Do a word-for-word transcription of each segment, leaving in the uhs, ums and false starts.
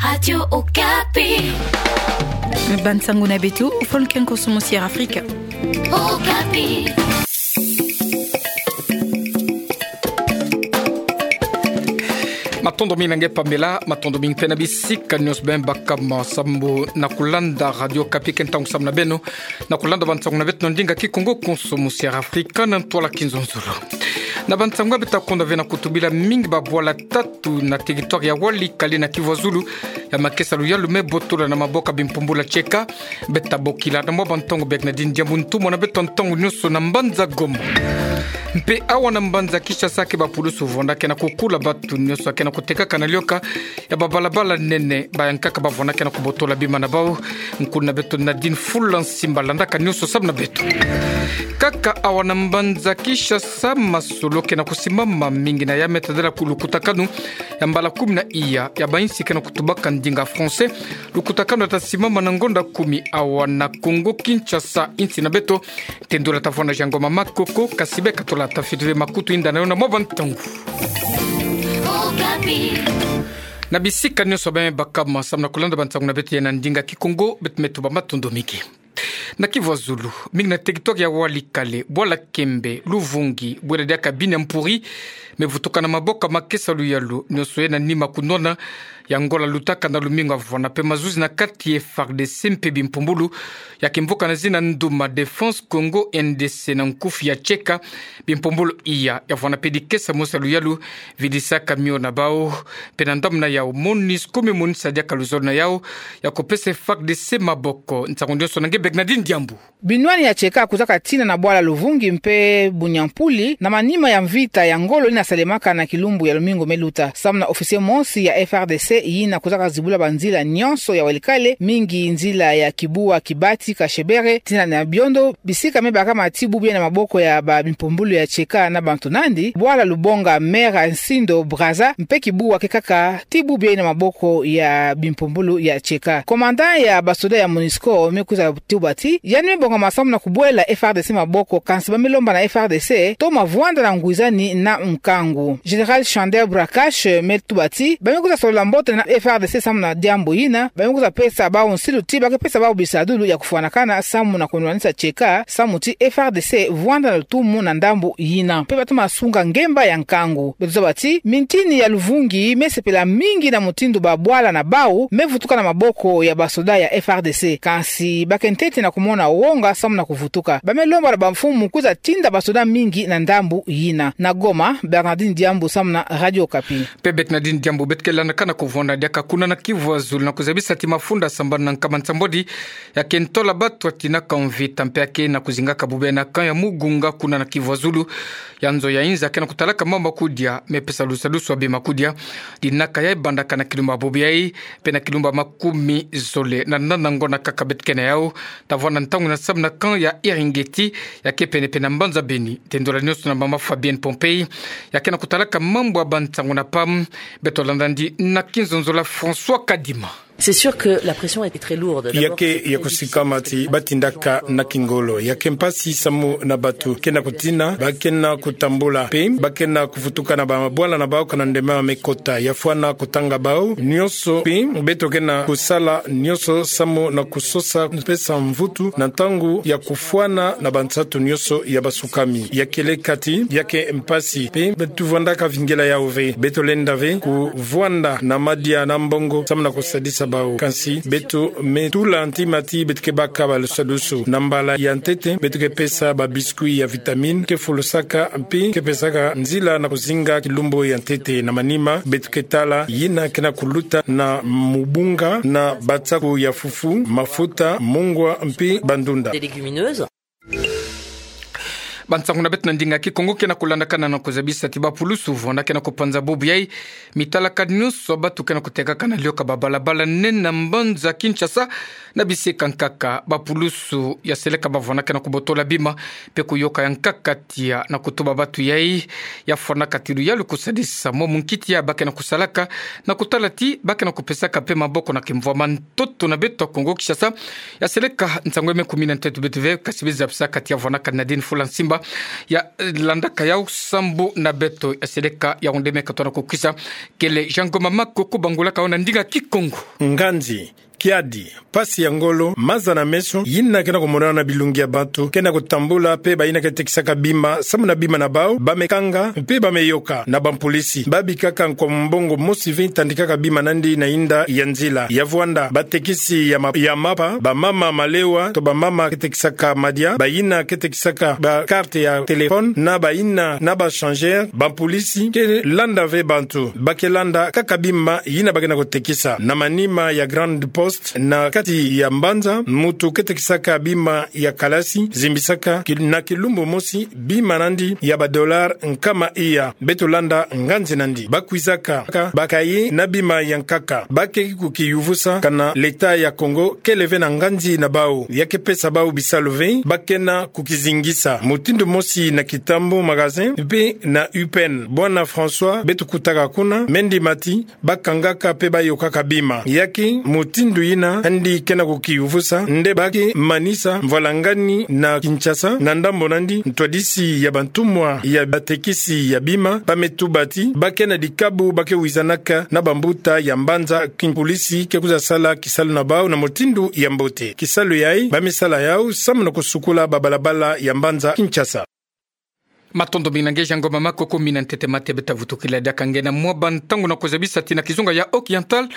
Radio Okapi. Bansango na beto, fo nkenko sumu Sierra Afrika. Okapi. Matondo mingi na nge Pamela, matondo mingi mpe na bisika nyonso beno bakama sambu na kulanda Radio Okapi ke ntangu samu na beno, na kulanda bansango na beto na ndinga Kikongo ko nsumu Sierra Afrika na ntwala Kinzonzolo. Na bansango beto ta konda ve na kutubila mingi babwala tatu na territoire ya Walikale na Kivu ya Zulu, ya makesa luyalu me botola na maboko ya bimpumbulu ya tieka. Beto ta bokila na mwa bantangu Bernardine Diambu ntumwa na beto ntangu nyonso na mbanza Goma. Mpe awa na mbanza Kinshasa ke bapulusu vwandaka na kukula batu nyonso ke na kutekaka na lioka ya babalabala nene, ba yankaka bavwandaka na kubotola bima na bau. Nkuna beto Nadine Fula Nsimba landaka nyonso samu na beto. Kaka awa na mbanza Kinshasa, masolo ke na kusimama mingi na ya me tadala ku lukutakanu ya mbala kumi na iya ya bainsi ke na kutubaka ndinga français. Lukutakanu ya ta simama na ngonda kumi awa na Kongo Kinshasa, insi na beto. Tendula ta vwanda Jean Ngoma Makoko, kasi beka tola ta fituve makutu inda na yo na mwa bantangu. Na bisika nyonso beno bakama samu na kulanda bansango na beto ya na ndinga Kikongo, beto me tuba matondo mingi. Na Kivu ya Zulu, mingi na territoire ya Walikale, bwala Kembe, Luvungi, bwela diaka Biniampuri, me vutuka na maboko ya makesa luyalu nyonso ye na nima kunwana ya ngola lutaka na lumingu ya vwanda mpe mazuzi na kati ya F A R D C mpe bimpumbulu ya kimvuka na zina Nduma Défense Congo, N D C, na nkufi ya tieka. Bimpumbulu iya ya vwanda mpe dikesa mosi ya luyalu, vidisaka mio na bau, mpe na ndambu na yau, MONUSCO me monisaka diaka luzolo na yau ya kupesa F A R D C maboko. Nsangu nyonso na nge Bernardine Diambu. Binwani ya tieka kuzaka tina na bwala Luvungi mpe Biniampuri, na manima ya mvita ya ngolo yina salemaka na kilumbu ya lumingu me luta. Samu na officier mosi ya F A R D C yina kuzaka zibula banzila nyonso ya Walikale, mingi nzila ya Kibuwa, Kibati, Kashebere, tina na Biondo, bisika me bakama ti bubu yai na maboko ya ba bimpumbulu ya tieka na bantu nandi, bwala Lubonga, Mera, Nsindo, Brazza, mpe Kibuwa ke kaka ti bubu yai na maboko ya bimpumbulu ya tieka. Commandant ya basoda ya MONUSCO me kwiza tuba ti, yandi me bongama samu na kubwela F A R D C maboko, kansi ba me lomba na F A R D C toma vwanda na ngwizani na nkangu. Général Chander Brakash me tuba ti, ba me kwiza solola mbote na F A R D C samu na diambu yina, ba me kwiza pesa bau nsilu ti ba ke pesa bau bisadulu ya kufwanakana samu na kunwanisa tieka, samu ti F A R D C vwanda na lutumu na ndambu yina. Mpe ba toma sunga ngemba ya nkangu. Beto zaba ti, mintini ya Luvungi me sepela mingi na mutindu babwala na bau me vutuka na maboko ya basoda ya F A R D C. Kansi ba ke ntete na kumona wonga samu na kuvutuka. Ba me lomba na bamfumu kwiza tinda basoda mingi na ndambu yina. Na Goma, Bernardine Diambu samu na Radio Okapi. Mpe Bernardine Diambu, beto ke landaka na kuvwanda diaka kuna na Kivu ya Zulu na kuzabisa ti mafunda sambanu na nkama nsambwadi ya ke ntola batu ya tinaka mvita mpe ya ke na kuzingaka bubena camp ya Mugunga kuna na Kivu ya Zulu. Ya nzo ya inza ke na kutalaka mambu ya kudia, me pesa lusadusu ya bima kudia. Dinaka yai bandaka na kilumbu ya bobo yai, mpe na kilumbu ya makumi zole na nana ngonda kaka beto ke na yau, ta vwanda ntangu yina samu na camp ya Eringeti, ya ke penepene na mbanza Beni. Tendula nyonso na mama Fabienne Pompei, ya ke na kutalaka mambu ya bansango na pam. Beto landa ndi na Kinzonzolo François Kadima. C'est sûr que la pression est très lourde. Ya ke ya kusikama ti ba tindaka na kingolo. Ya ke mpasi samu na batu ke na kutina, ba ke na kutambula, mpe ba ke na kuvutuka na bamabwala na bau kana ndemama me kota. Ya fwana kutanga bau nyonso, mpe beto ke na kusala nyonso samu na kusosa, pesa mvutu na ntangu ya kufwana na bansatu nyonso ya basukami. Ya kele kati, ya ke mpasi, mpe beto vwandaka vingila yau ve. Beto lenda ve kuvwanda na madia na mbongo samu na kusadisa bau. Kansi beto me tula ntima ti beto ke baka balusadusu. Na mbala ya ntete, beto ke pesa ba biscuit ya vitamine, ke fulusaka, mpe ke pesaka nzila na kuzinga kilumbu ya ntete. Na manima, beto ke tala yina ke na kuluta na mubunga, na batsaku ya fufu, mafuta, mungwa, mpe bandunda. Des légumineuses. Bansango na beto na ndinga Kikongo ke na kulandakana na kuzabisa ti bapulusu vwanda ke na kupanza bubu yai, mitalaka nyonso batu ke na kutekaka na lioka babalabala nene na mbanza Kinshasa. Na bisika nkaka, bapulusu ya seleka bavwanda ke na kubotola bima, mpe kuyoka ya nkaka tia na kutuba batu yai, ya fwanaka ti luyalu kusadisa mwa munkiti ya ba ke na kusalaka, na kutala ti ba ke na kupesaka mpe maboko na kimvwama. Ntoto na beto ya Kongo Kinshasa ya seleka nsangu ya me kumi na ntatu beto ve, kasi biza pesa kati ya vwanda ka Nadine Fula Nsimba, Ya landaka yau sambu na beto ya seleka ya onde me katona ko kisa. Kele Jean Ngoma Makoko bangulaka yo na ndinga Kikongo. Nganzi, kiadi, mpasi ya ngolo, maza na meso, yina ke na komonana na bilungi ya bantu ke na kotambula, mpe bayina ke tekisaka bima samu na bima na bau, bamekanga, mpe bameyoka na bampulisi. Babikaka nkwa mbongo mosi ve tandikaka bima nandi na inda ya nzila. Ya vwanda, batekisi ya ma-, ya mapa, bamama malewa, to bamama ke tekisaka madia, bayina ke tekisaka ba carte ya téléphone, na bayina na ba changeur, bampulisi ke landa ve bantu. Ba ke landa kaka bima yina ba ke na kotekisa. Na manima ya Grande Poste, na kati ya mbanza, muntu ke tekisaka bima ya kalasi, zimbisaka ki-, na kilumbu mosi, bima nandi ya ba dollar nkama iya. Beto landa nganzi nandi. Ba kwizaka ka ba cahier na bima ya nkaka. Ba ke kukiyuvusa kana l'État ya Congo kele ve na nganzi na bau, ya ke pesa bau bisalu ve, ba ke na kukizingisa. Mutindu mosi na Kitambo magasin, mpe na U P N. Bwana François, beto kutaka kuna, Mendy Mathy, ba kangaka mpe ba yokaka bima. Ya ke mutindu yina yandi ke na kukiyuvusa, nde ba ke manisa mvwalangani na Kinshasa, na ndambo nandi, ntwadisi ya bantumwa ya batekisi ya bima, ba me tuba ti ba ke na dikabu ba ke wizanaka na bambuta ya mbanza, kimpulisi ke kwiza sala kisalu na bau na mutindu ya mbote. Kisalu yayi, ba me sala yau samu na kosukula babalabala ya mbanza Kinshasa. Matondo mingi na nge Jean Ngoma Makoko, mina ntete mate beta vutukila diaka nge na mwa bantangu na kozabisa ti na kizunga ya Occidental,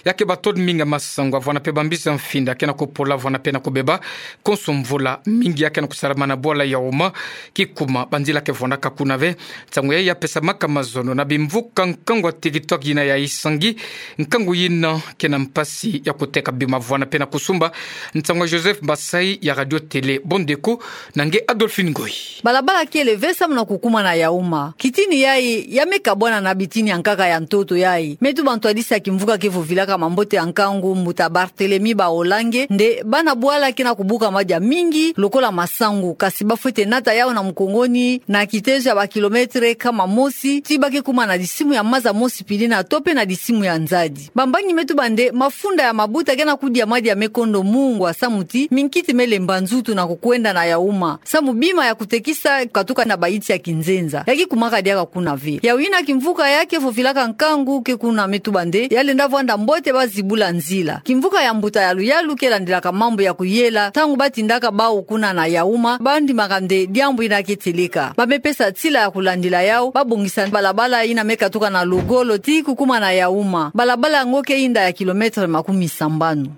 ya ke bato mingi ya masangu, avwana mpe bambisi ya mfinda ke na kopola, avwana mpe na kobeba, konso mvula mingi ya ke na kosalama na bwala ya Houma, kikuma banzila ke vwandaka kuna ve. Nsangu yayi ya pesamaka mazono na bimvuka nkangu ya TikTok yina ya Isangi, nkangu yina ke na mpasi ya koteka bima, avwana mpe na kosumba. Nsangu ya Joseph Basayi ya Radio Télé Bondeko na nge Adolphine Ngoyi. Balabala kele ve samu na kokumana ya Houma. Kitini yayi ya me kabwana na bitini ya nkaka ya ntoto yayi. Me tuba ntwadisi ya kimvuka ke vovilaka mambote ya nkangu, mbuta Barthélemy Baolange, nde bana bwala ke na kobuka madia mingi lokola masangu, kasi ba fwete nata yau na mukongoni na kitezo ya ba kilomètre nkama mosi, ti ba ke kuma na disimu ya maza mosi pili na to mpe na disimu ya nzadi. Bambangi me tuba nde mafunda ya mabuta ke na kudia madia me kondo mungwa samu ti minkiti me lemba nzutu na kokwenda na ya Houma. Samu bima ya kotekisa katuka na bayinti ya kinzenza, ya kikumaka diaka kuna ve. Yau yina kimvuka ya ke vovilaka nkangu ke kuna me tuba nde ya lenda vwanda mbote ba zibula nzila. Kimvuka ya mbuta Yaluyalu ke landilaka mambu ya kuyela, ntangu ba tindaka bau kuna na ya Houma, ba ndimaka nde diambu yina ke seleka. Ba me pesa nsila ya kulandila yau, ba bongisa balabala yina me katuka na Logolo ti kukuma na ya Houma. Balabala yango ke yinda ya kilomètre makumi sambanu.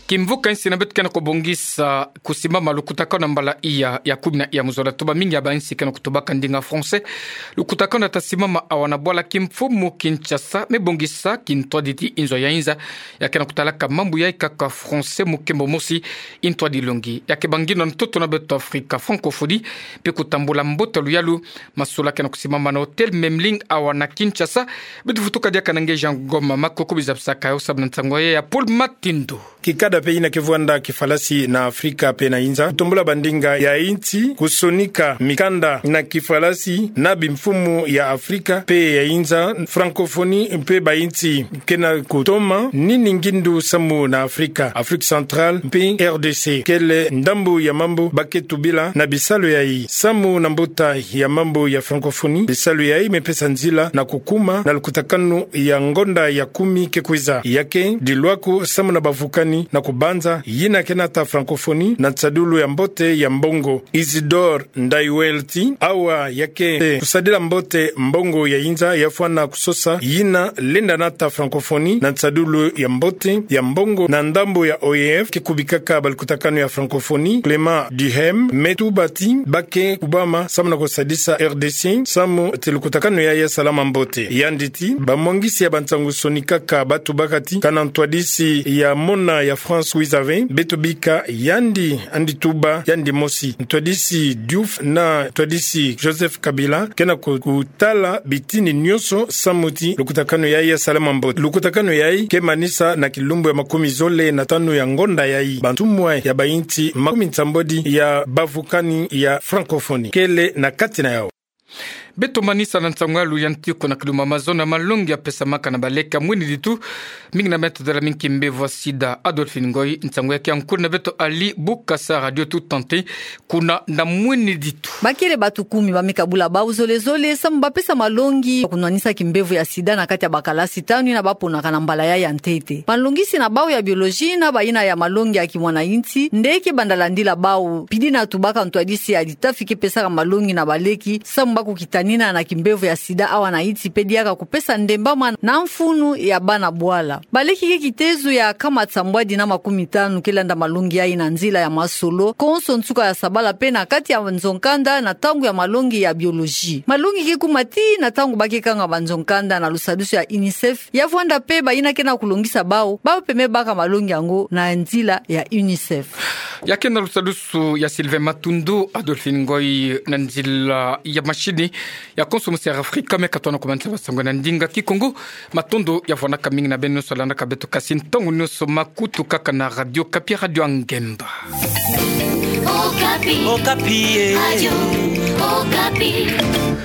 Kimvuka insi na beto ke na kobongisa kusimama lukutakanu ya mbala iya ya kumi na iya mu zola. Tuba mingi ya bainsi ke na kotubaka ndinga français. Lukutakanu ya ta simama awa na bwala kimfumu Kinshasa, me bongisa kintwadidi inzo ya inza, ya ke na kotalaka mambu yayi kaka français mu nkembo mosi. Intwadi longi ya ke bangino na ntoto na beto Afrika, francophonie, mpe kotambula mbote ya luyalu. Masolo ke na kosimama na hôtel Memling awa na Kinshasa. Beto vutuka diaka na nge Jean Ngoma Makoko, bizabisaka yo samu na nsangu yayi ya Paul Matindu. Kikada mpe yina ke vwanda kifalasi na Afrika mpe na inza, kotombula bandinga ya insi, kosonika mikanda na kifalasi na bimfumu ya Afrika mpe ya inza, francophonie mpe bainsi ke na kotoma nini ngindu samu na Afrika, Afrique centrale mpe R D C. Kele ndambu ya mambu ba ke tubila na bisalu yayi. Samu na mbuta ya mambu ya francophonie, bisalu yayi me pesa nzila na kukuma na lukutakanu ya ngonda ya kumi ke kwiza. Ya ke dilwaku samu na bavukani na kubanza yina ke nata francophonie na nsadulu ya mbote ya mbongo. Isidore Ndaiwel ti awa ya ke kusadila mbote mbongo ya inza, ya fwana kusosa yina lenda nata francophonie na nsadulu ya mbote ya mbongo na ndambu ya O I F ke kubikaka balukutakanu ya francophonie, Clément Duhem, me tuba ti ba ke kubama samu na kusadisa R D C samu ti lukutakanu yayi ya salama mbote. Yandi ti bamwangisi ya bansangu-nsoni kaka ba tubaka ti kana ntwadisi ya mona ya France wiza ve, beto bika yandi, yandi tuba yandi mosi. Ntwadisi Diouf na ntwadisi Joseph Kabila ke na ku-, kutala bitini nyonso samu ti lukutakanu yayi ya salama mbote. Lukutakanu yayi ke manisa na kilumbu ya makumi zole na tanu ya ngonda yayi. Bantumwa ya bainsi makumi nsambwadi ya bavukani ya francophonie kele na kati na yau. Beto manisa na nsangu ya luyanti ko na kiluma mazo na malongi ya pesamaka na baleke ya mwini ditu, mingi na metodo la mingi kimbevo ya sida. Adolphine Ngoy, nsangu ya kia nkuri na beto ali bukasa radio tutante, kuna na mwini ditu. Bakele batukumi ba mikabula bau zolezole, samu ba pesa malongi, kunwanisa kimbevo ya sida na kati ya bakalasi tanu ina ba ponaka na mbala ya ya ntete. Malongisi na bau ya biologie na bayina ya malongi ya kimwana insi, ndeke banda landila bau, pidi na tubaka ntwadisi ya ditafi ke pesaka malongi na baleki, samu ba kukitanina na kimbevo ya sida awa na insi pe diaka kupesa ndembama na mfunu ya bana bwala. Baleki ke kitezo ya nkama sambwadi na makumi tanu ke landa malongi yayi na nzila ya masolo, konso nsuka ya sabala pe na kati ya nzo-nkanda na ntangu ya malongi ya biologie. Malongi ke kuma tii na ntangu ba ke kanga banzo-nkanda na lusadusu ya UNICEF, ya vwanda pe bayina ke na kulongisa bau, bau peme baka malongi yango na nzila ya UNICEF. Ya ke na lusadusu ya Sylvain Matundu, Adolphine Ngoy na nzila ya mashini, ya konso musi ya Afrika, me ka tona kumanisa ba nsangu na ndinga Kikongo. Matondo ya vwanaka mingi na beno nyonso landaka beto kasi ntangu nyonso makutu kaka na Radio Okapi, Radio ya Ngemba. Okapi. Okapi, eh. Radio Okapi.